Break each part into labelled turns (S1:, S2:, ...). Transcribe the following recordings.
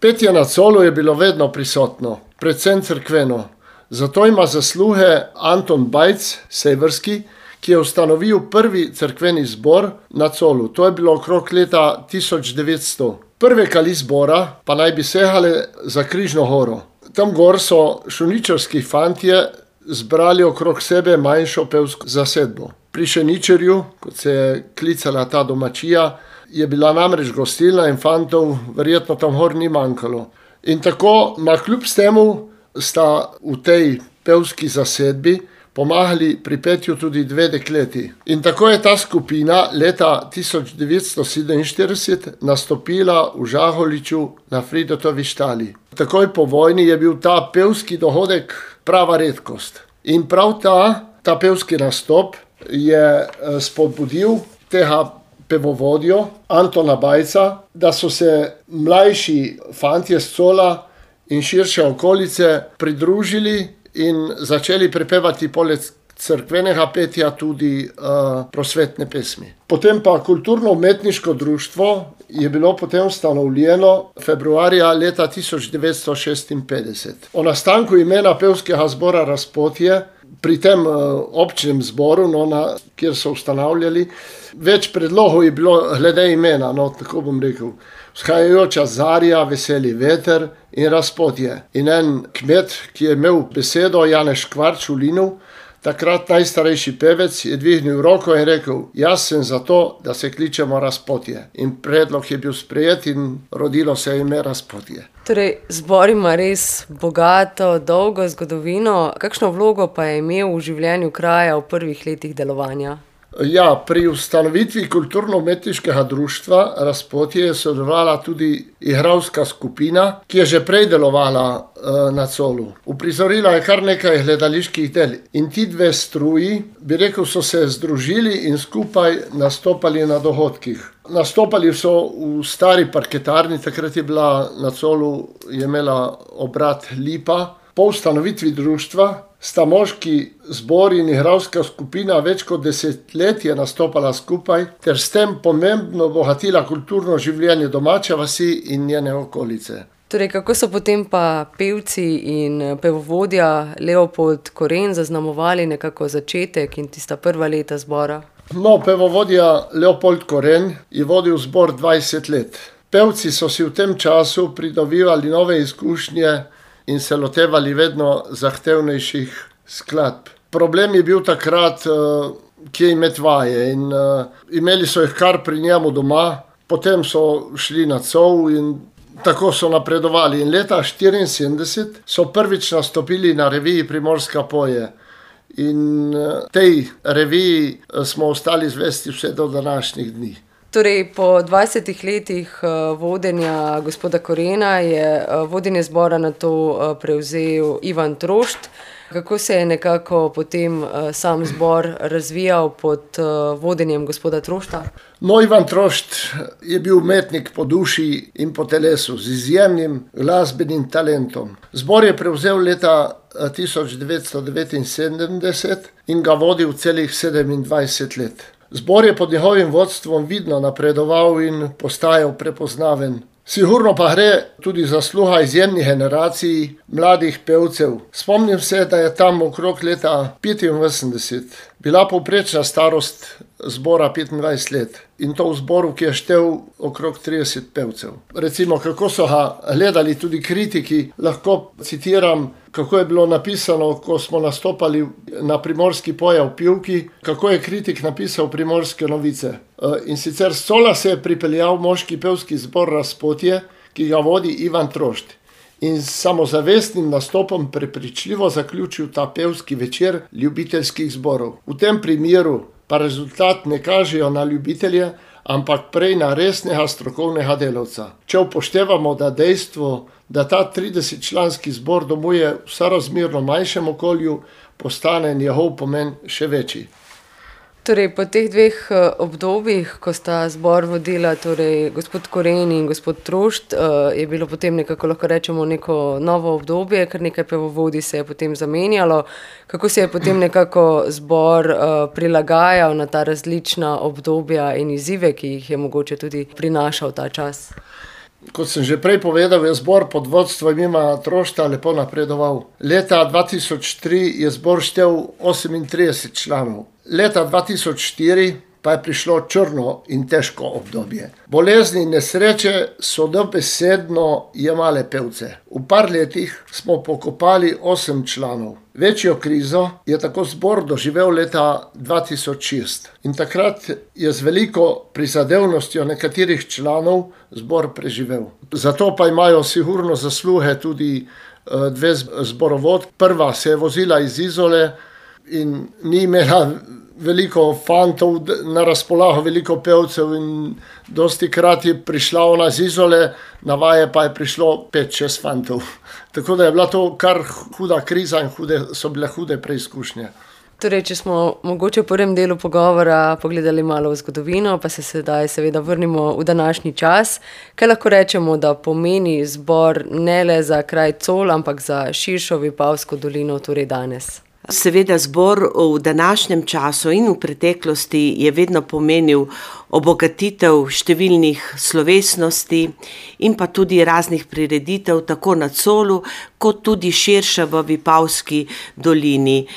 S1: Petje na Colu je bilo vedno prisotno, predvsem cerkveno. Zato ima zasluge Anton Bajc, severski, ki je ustanovil prvi cerkveni zbor na Colu. To je bilo okrog leta 1900. Prve kali zbora pa naj bi sehale za Križno goro. Tam gor so šuničarski fantje zbrali okrog sebe manjšo pevsko zasedbo. Pri Šeničarju, kot se je klicala ta domačija, je bila namreč gostilna in fantov verjetno tam gor ni manjkalo. In tako, kljub temu, sta v tej pevski zasedbi pomagali pri petju tudi dve dekleti. In tako je ta skupina leta 1947 nastopila v Žaholiču na Fridotovi štali. Takoj po vojni je bil ta pevski dohodek prava redkost. In prav ta pevski nastop je spodbudil tega pevovodjo Antona Bajca, da so se mlajši fantje s Cola in širše okolice pridružili in začeli prepevati poleg cerkvenega petja tudi prosvetne pesmi. Potem pa kulturno-umetniško društvo je bilo potem ustanovljeno februarja leta 1956. O nastanku imena pevskega zbora Razpotje pri tem občnem zboru, kjer so ustanavljali, več predlogov je bilo glede imena, tako bom rekel. Vzhajajoča zarja, veseli veter in Razpotje. In en kmet, ki je imel besedo, Janez Škvarč v Linu, takrat najstarejši pevec, je dvignil roko in rekel: jaz sem za to, da se kličemo Razpotje. In predlog je bil sprejet in rodilo se je ime Razpotje.
S2: Torej, zbor ima res bogato, dolgo zgodovino. Kakšno vlogo pa je imel v življenju kraja v prvih letih delovanja?
S1: Ja, pri ustanovitvi kulturno-umetniškega društva Razpotje je sodelovala tudi igralska skupina, ki je že prej delovala na Colu. Uprizorila je kar nekaj gledaliških del. In ti dve struji, bi rekel, so se združili in skupaj nastopali na dogodkih. Nastopali so v stari parketarni, takrat je bila na Colu, je imela obrat Lipa. Po ustanovitvi društva sta moški zbor in igralska skupina več kot desetletje nastopala skupaj ter s tem pomembno bogatila kulturno življenje domače vasi in njene okolice.
S2: Torej, kako so potem pa pevci in pevovodja Leopold Koren zaznamovali nekako začetek in tista prva leta zbora?
S1: Pevovodja Leopold Koren je vodil zbor 20 let. Pevci so si v tem času pridobivali nove izkušnje in se lotevali vedno zahtevnejših skladb. Problem je bil takrat, kje imeti vaje, in imeli so jih kar pri njemu doma, potem so šli na Col in tako so napredovali. In leta 1974 so prvič nastopili na reviji Primorska poje. In tej reviji smo ostali zvesti vse do današnjih dni.
S2: Torej, po 20 letih vodenja gospoda Korena je vodenje zbora nato prevzel Ivan Trošt. Kako se je nekako potem sam zbor razvijal pod vodenjem gospoda Trošta?
S1: Ivan Trošt je bil umetnik po duši in po telesu z izjemnim glasbenim talentom. Zbor je prevzel leta 1979 in ga vodil celih 27 let. Zbor je pod njegovim vodstvom vidno napredoval in postajal prepoznaven. Sigurno pa gre tudi zasluga izjemnih generacij mladih pevcev. Spomnim se, da je tam okrog leta 85 bila povprečna starost zbora 25 let. In to v zboru, ki je štel okrog 30 pevcev. Recimo, kako so ga gledali tudi kritiki, lahko citiram, kako je bilo napisano, ko smo nastopali na Primorski poje v Pivki, kako je kritik napisal Primorske novice. In sicer s Cola se je pripeljal moški pevski zbor Razpotje, ki ga vodi Ivan Trošt. In s samozavestnim nastopom prepričljivo zaključil ta pevski večer ljubiteljskih zborov. V tem primeru pa rezultat ne kažejo na ljubitelje, ampak prej na resnega strokovnega delavca. Če upoštevamo, da dejstvo, da ta 30-članski zbor domuje v sorazmerno manjšem okolju, postane njegov pomen še večji.
S2: Torej, po teh dveh obdobjih, ko sta zbor vodila torej gospod Koren in gospod Trošt, je bilo potem nekako, lahko rečemo, neko novo obdobje, kar nekaj pevovodij se je potem zamenjalo. Kako se je potem nekako zbor prilagajal na ta različna obdobja in izzive, ki jih je mogoče tudi prinašal ta čas?
S1: Kot sem že prej povedal, je zbor pod vodstvom Ima Trošta lepo napredoval. Leta 2003 je zbor štel 38 članov. Leta 2004 pa je prišlo črno in težko obdobje. Bolezni in nesreče so dobesedno jemale pevce. V par letih smo pokopali 8 članov. Večjo krizo je tako zbor doživel leta 2006. In takrat je z veliko prizadevnostjo nekaterih članov zbor preživel. Zato pa imajo sigurno zasluge tudi dve zborovod. Prva se je vozila iz Izole in ni imela veliko fantov na razpolago, veliko pevcev in dosti krat je prišla ona z Izole, na vaje pa je prišlo 5-6 fantov. Tako da je bila to kar huda kriza in so bile hude preizkušnje.
S2: Torej, če smo mogoče v prvem delu pogovora pogledali malo v zgodovino, pa se sedaj seveda vrnimo v današnji čas, kaj lahko rečemo, da pomeni zbor ne le za kraj Col, ampak za širšo Vipavsko dolino, torej danes?
S3: Seveda zbor v današnjem času in v preteklosti je vedno pomenil obogatitev številnih slovesnosti in pa tudi raznih prireditev tako na Colu, kot tudi širše v Vipavski dolini.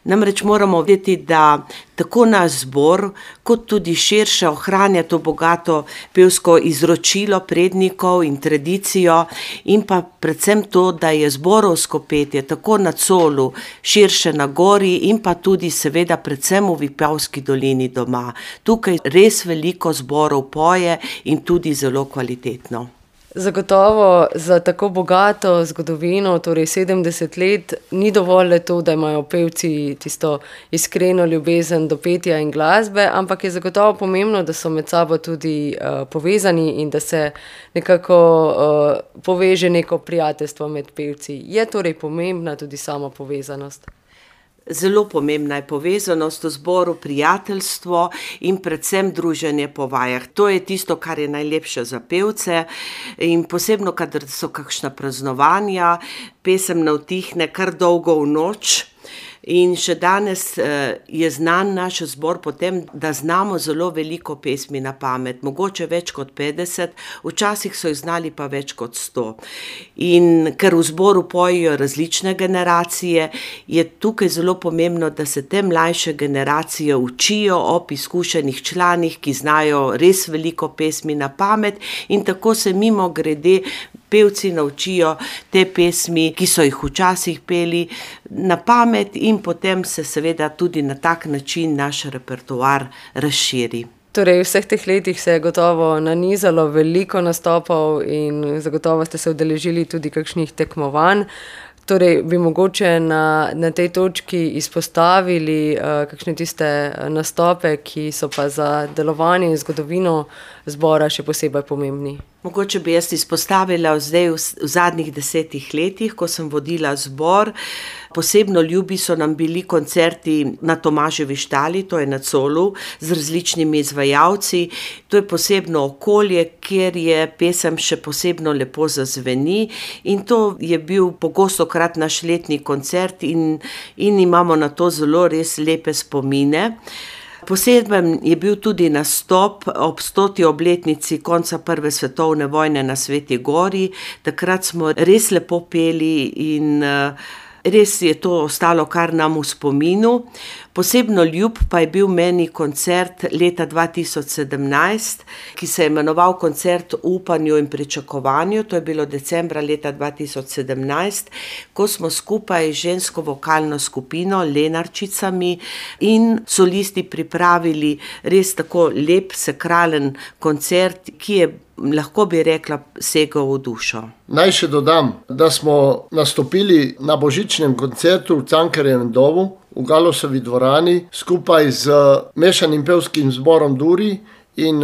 S3: Namreč moramo vedeti, da tako naš zbor, kot tudi širše ohranja to bogato pevsko izročilo prednikov in tradicijo in pa predvsem to, da je zborovsko petje tako na Colu, širše na gori in pa tudi seveda predvsem v Vipavski dolini doma. Tukaj res veliko zborov poje in tudi zelo kvalitetno.
S2: Zagotovo za tako bogato zgodovino, torej 70 let, ni dovolj le to, da imajo pevci tisto iskreno ljubezen do petja in glasbe, ampak je zagotovo pomembno, da so med sabo tudi povezani in da se nekako poveže neko prijateljstvo med pevci. Je torej pomembna tudi sama povezanost?
S3: Zelo pomembna je povezanost v zboru, prijateljstvo in predvsem druženje po vajah. To je tisto, kar je najlepše za pevce in posebno, kadar so kakšna praznovanja, pesem navtihne kar dolgo v noč. In še danes je znan naš zbor po tem, da znamo zelo veliko pesmi na pamet, mogoče več kot 50, včasih so jih znali pa več kot 100. In ker v zboru pojejo različne generacije, je tukaj zelo pomembno, da se te mlajše generacije učijo ob izkušenih članih, ki znajo res veliko pesmi na pamet in tako se mimogrede pevci naučijo te pesmi, ki so jih včasih peli na pamet in potem se seveda tudi na tak način naš repertoar razširi.
S2: Torej, v vseh teh letih se je gotovo nanizalo veliko nastopov in zagotovo ste se udeležili tudi kakšnih tekmovanj. Torej, bi mogoče na tej točki izpostavili kakšne tiste nastope, ki so pa za delovanje in zgodovino zbora še posebej pomembni?
S3: Mogoče bi jaz izpostavila zdaj v zadnjih 10 letih, ko sem vodila zbor. Posebno ljubi so nam bili koncerti na Tomaževi štali, to je na Colu, z različnimi izvajalci. To je posebno okolje, kjer je pesem še posebno lepo zazveni in to je bil pogostokrat naš letni koncert in imamo na to zelo res lepe spomine. Poseben je bil tudi nastop ob 100. obletnici konca Prve svetovne vojne na Sveti Gori. Takrat smo res lepo peli in res je to ostalo kar nam v spominu. Posebno ljub pa je bil meni koncert leta 2017, ki se je imenoval Koncert o upanju in pričakovanju. To je bilo decembra leta 2017, ko smo skupaj z žensko vokalno skupino Lenarčicami in solisti pripravili res tako lep, sakralen koncert, ki je, lahko bi rekla, segal v dušo.
S1: Naj še dodam, da smo nastopili na božičnem koncertu v Cankarjevem domu v Galosovi dvorani skupaj z mešanim pevskim zborom Duri in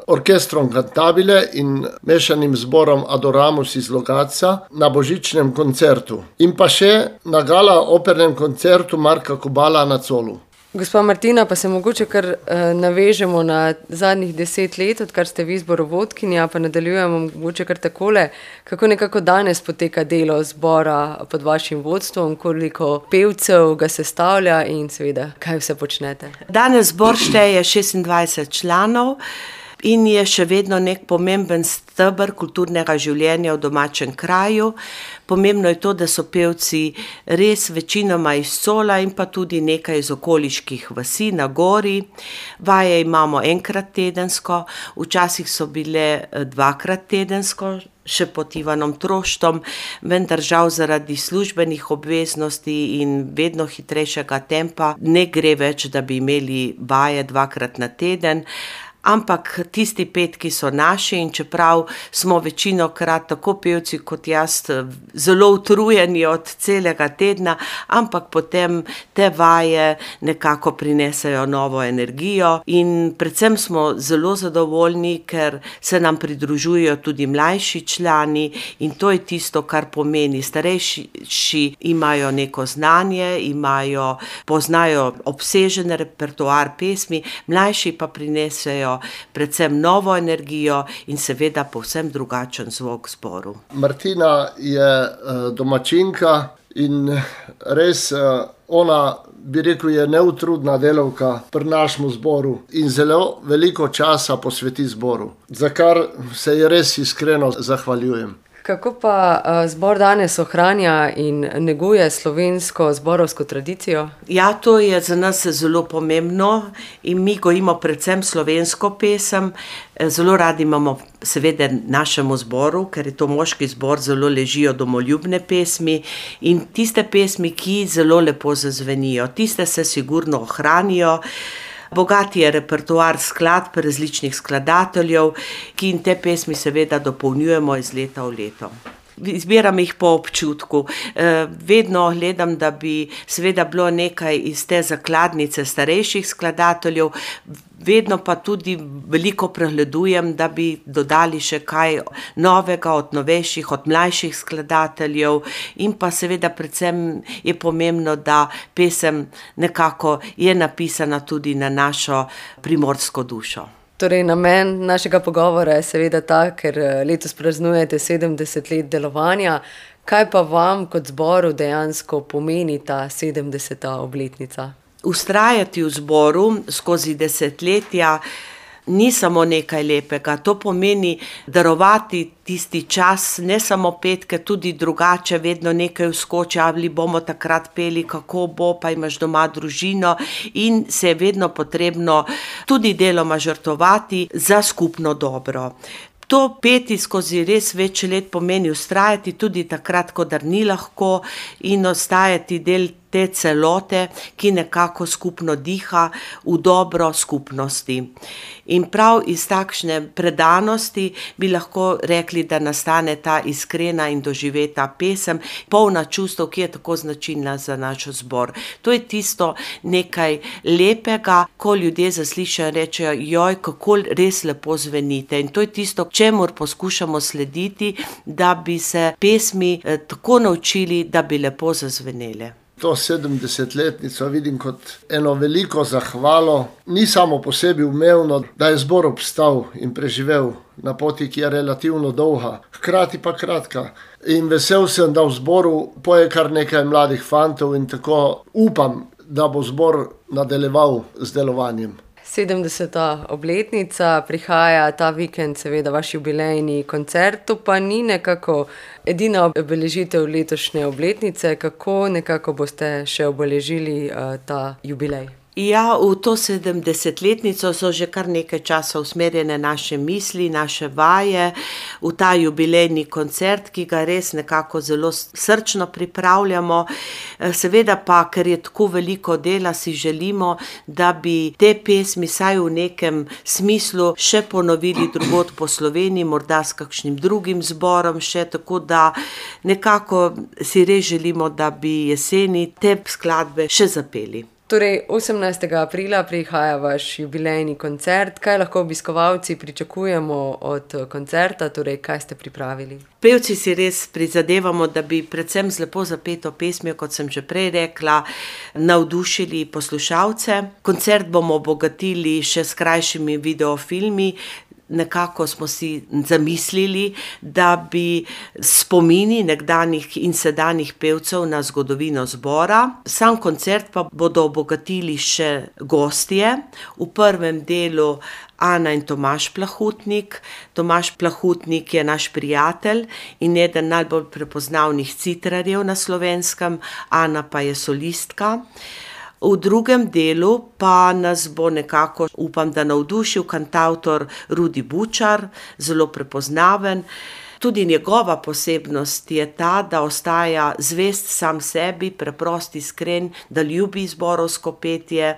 S1: orkestrom Cantabile in mešanim zborom Adoramus iz Logatca na božičnem koncertu. In pa še na gala opernem koncertu Marka Kobala na Colu.
S2: Gospa Martina, pa se mogoče kar navežemo na zadnjih 10 let, odkar ste vi zborovodkinja, pa nadaljujemo mogoče kar takole. Kako nekako danes poteka delo zbora pod vašim vodstvom, koliko pevcev ga sestavlja in seveda, kaj vse počnete?
S3: Danes zbor šteje 26 članov. in je še vedno nek pomemben steber kulturnega življenja v domačem kraju. Pomembno je to, da so pevci res večinoma iz Cola in pa tudi nekaj iz okoliških vasi na gori. Vaje imamo enkrat tedensko, včasih so bile dvakrat tedensko, še pod Ivanom Troštom, vendar žal zaradi službenih obveznosti in vedno hitrejšega tempa ne gre več, da bi imeli vaje dvakrat na teden. Ampak tisti petki so naši in čeprav smo večinokrat tako pevci kot jaz zelo utrujeni od celega tedna, ampak potem te vaje nekako prinesejo novo energijo in predvsem smo zelo zadovoljni, ker se nam pridružujejo tudi mlajši člani in to je tisto, kar pomeni. Starejši imajo neko znanje, poznajo obsežen repertoar pesmi, mlajši pa prinesejo predvsem novo energijo in seveda povsem drugačen zvok zboru.
S1: Martina je domačinka in res ona, bi rekel, je neutrudna delavka pri našem zboru in zelo veliko časa posveti zboru, za kar se ji res iskreno zahvaljujem.
S2: Kako pa zbor danes ohranja in neguje slovensko zborovsko tradicijo?
S3: Ja, to je za nas zelo pomembno in mi gojimo predvsem slovensko pesem. Zelo radi imamo seveda našemu zboru, ker je to moški zbor, zelo ležijo domoljubne pesmi in tiste pesmi, ki zelo lepo zazvenijo, tiste se sigurno ohranijo. Bogat je repertoar skladb različnih skladateljev, ki in te pesmi seveda dopolnjujemo iz leta v leto. Izbiram jih po občutku. Vedno gledam, da bi seveda bilo nekaj iz te zakladnice starejših skladateljev, vedno pa tudi veliko pregledujem, da bi dodali še kaj novega od novejših, od mlajših skladateljev in pa seveda predvsem je pomembno, da pesem nekako je napisana tudi na našo primorsko dušo.
S2: Torej, namen našega pogovora je seveda ta, ker letos praznujete 70 let delovanja. Kaj pa vam kot zboru dejansko pomeni ta 70. obletnica?
S3: Vztrajati v zboru skozi desetletja ni samo nekaj lepega, to pomeni darovati tisti čas, ne samo petke, tudi drugače, vedno nekaj vskoči, ali bomo takrat peli, kako bo, pa imaš doma družino in se je vedno potrebno tudi deloma žrtvovati za skupno dobro. To peti skozi res več let pomeni vztrajati tudi takrat, kadar ni lahko in ostajati del te celote, ki nekako skupno diha v dobro skupnosti. In prav iz takšne predanosti bi lahko rekli, da nastane ta iskrena in doživeta pesem, polna čustev, ki je tako značilna za naš zbor. To je tisto nekaj lepega, ko ljudje zaslišajo in rečejo, joj, kako res lepo zvenite. In to je tisto, čemur poskušamo slediti, da bi se pesmi tako naučili, da bi lepo zazvenele.
S1: To 70-letnico vidim kot eno veliko zahvalo, ni samo po sebi umevno, da je zbor obstal in preživel na poti, ki je relativno dolga, hkrati pa kratka. In vesel sem, da v zboru poje kar nekaj mladih fantov in tako upam, da bo zbor nadaljeval z delovanjem.
S2: 70. obletnica, prihaja ta vikend seveda vaš jubilejni koncert, to pa ni nekako edina obeležitev letošnje obletnice, kako nekako boste še obeležili ta jubilej?
S3: Ja, v to 70-letnico so že kar nekaj časa usmerjene naše misli, naše vaje, v ta jubilejni koncert, ki ga res nekako zelo srčno pripravljamo. Seveda pa, ker je tako veliko dela, si želimo, da bi te pesmi saj v nekem smislu še ponovili drugod po Sloveniji, morda s kakšnim drugim zborom še, tako da nekako si res želimo, da bi jeseni te skladbe še zapeli.
S2: Torej, 18. aprila prihaja vaš jubilejni koncert. Kaj lahko obiskovalci pričakujemo od koncerta, torej kaj ste pripravili?
S3: Pevci si res prizadevamo, da bi predvsem z lepo zapeto pesmijo, kot sem že prej rekla, navdušili poslušalce. Koncert bomo obogatili še s krajšimi videofilmi, nekako smo si zamislili, da bi spomini nekdanjih in sedanjih pevcev na zgodovino zbora. Sam koncert pa bodo obogatili še gostje. V prvem delu Ana in Tomaž Plahutnik. Tomaž Plahutnik je naš prijatelj in eden najbolj prepoznavnih citrarjev na Slovenskem, Ana pa je solistka. V drugem delu pa nas bo nekako, upam, da navdušil kantavtor Rudi Bučar, zelo prepoznaven. Tudi njegova posebnost je ta, da ostaja zvest sam sebi, preprost, iskren, da ljubi zborovsko petje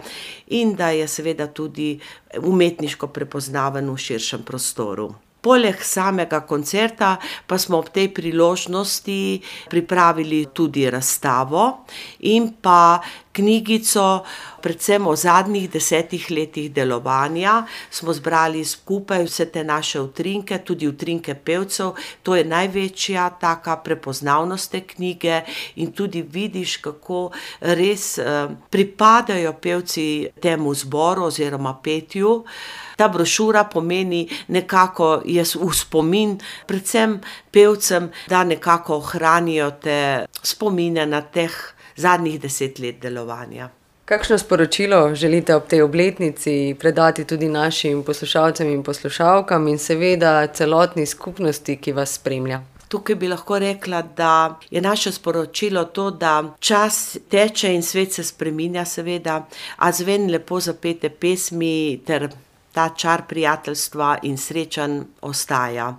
S3: in da je seveda tudi umetniško prepoznaven v širšem prostoru. Poleg samega koncerta pa smo ob tej priložnosti pripravili tudi razstavo in pa knjigico, predvsem o zadnjih 10 letih delovanja. Smo zbrali skupaj vse te naše utrinke, tudi utrinke pevcev. To je največja taka prepoznavnost te knjige in tudi vidiš, kako res pripadajo pevci temu zboru oziroma petju. Ta brošura pomeni nekako v spomin predvsem pevcem, da nekako ohranijo te spomine na teh zadnjih 10 let delovanja.
S2: Kakšno sporočilo želite ob tej obletnici predati tudi našim poslušalcem in poslušalkam in seveda celotni skupnosti, ki vas spremlja?
S3: Tukaj bi lahko rekla, da je naše sporočilo to, da čas teče in svet se spreminja seveda, a zven lepo zapete pesmi ter ta čar prijateljstva in srečanj ostaja.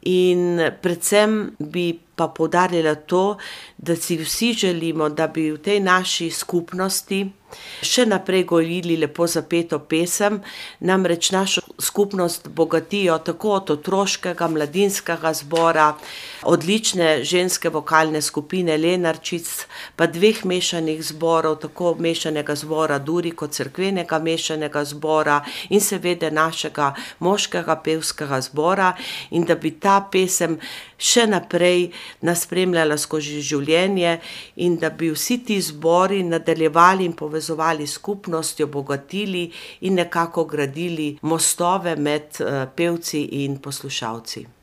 S3: In predvsem bi pa poudarila to, da si vsi želimo, da bi v tej naši skupnosti še naprej gojili lepo zapeto pesem, namreč našo skupnost bogatijo tako od otroškega, mladinskega zbora, odlične ženske vokalne skupine Lenarčic, pa 2 mešanih zborov, tako mešanega zbora Duri kot cerkvenega mešanega zbora in seveda našega moškega pevskega zbora in da bi ta pesem še naprej nas spremljala skozi življenje in da bi vsi ti zbori nadaljevali in povezovali skupnost, jo bogatili in nekako gradili mostove med pevci in poslušalci.